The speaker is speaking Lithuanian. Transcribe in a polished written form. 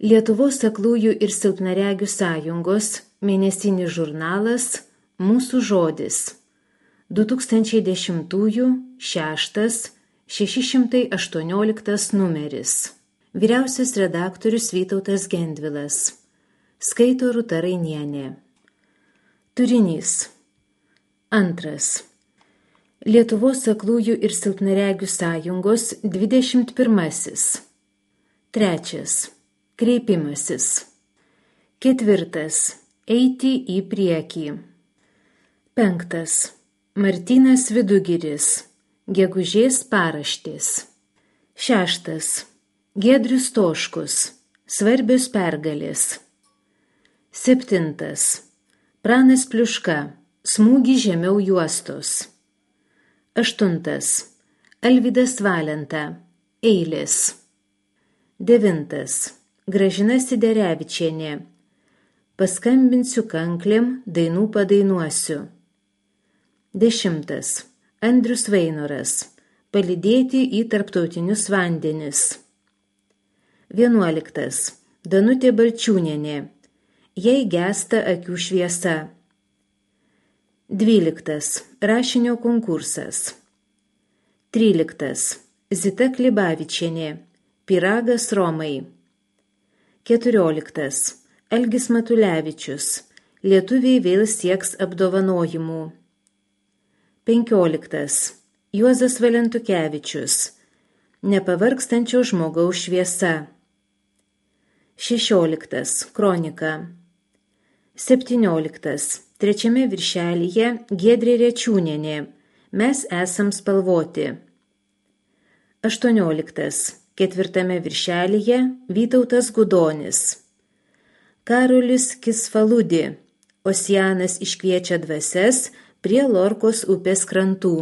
Lietuvos aklųjų ir silpnaregių sąjungos mėnesinis žurnalas Mūsų žodis 2010 618 numeris. Vyriausias redaktorius Vytautas Gendvilas. Skaito Rūta Rainienė. Turinys. 2. Lietuvos aklųjų ir silpnaregių sąjungos 21. 3. Kreipimasis. 4. Eiti į priekį. 5. Martynas Vidugiris. Gegužės paraštės. 6. Giedrius Stoškus. Svarbios pergalės. 7. Pranas Pliuška. Smūgį žemiau juostos. 8. Alvydas Valenta. Eilės. 9. Gražina Siderevičienė. Paskambinsiu kanklėm, dainų padainuosiu. 10. Andrius Vainoras. Palydėti į tarptautinius vandenis. 11. Danutė Balčiūnienė. Jei gęsta akių šviesa. 12. Rašinio konkursas. 13. Zita Klibavičienė. Pyragas Romai. 14. Algis Matulevičius. Lietuviai vėl sieks apdovanojimų. 15. Juozas Valentukevičius. Nepavargstančio žmogaus šviesa. 16. Kronika. 17. Trečiame viršelyje Giedrė Rečiūnienė. Mes esam spalvoti. 18. Ketvirtame viršelyje Vytautas Gudonis. Karolis Kisfaludi. Osianas iškviečia dvasias prie Lorkos upės krantų.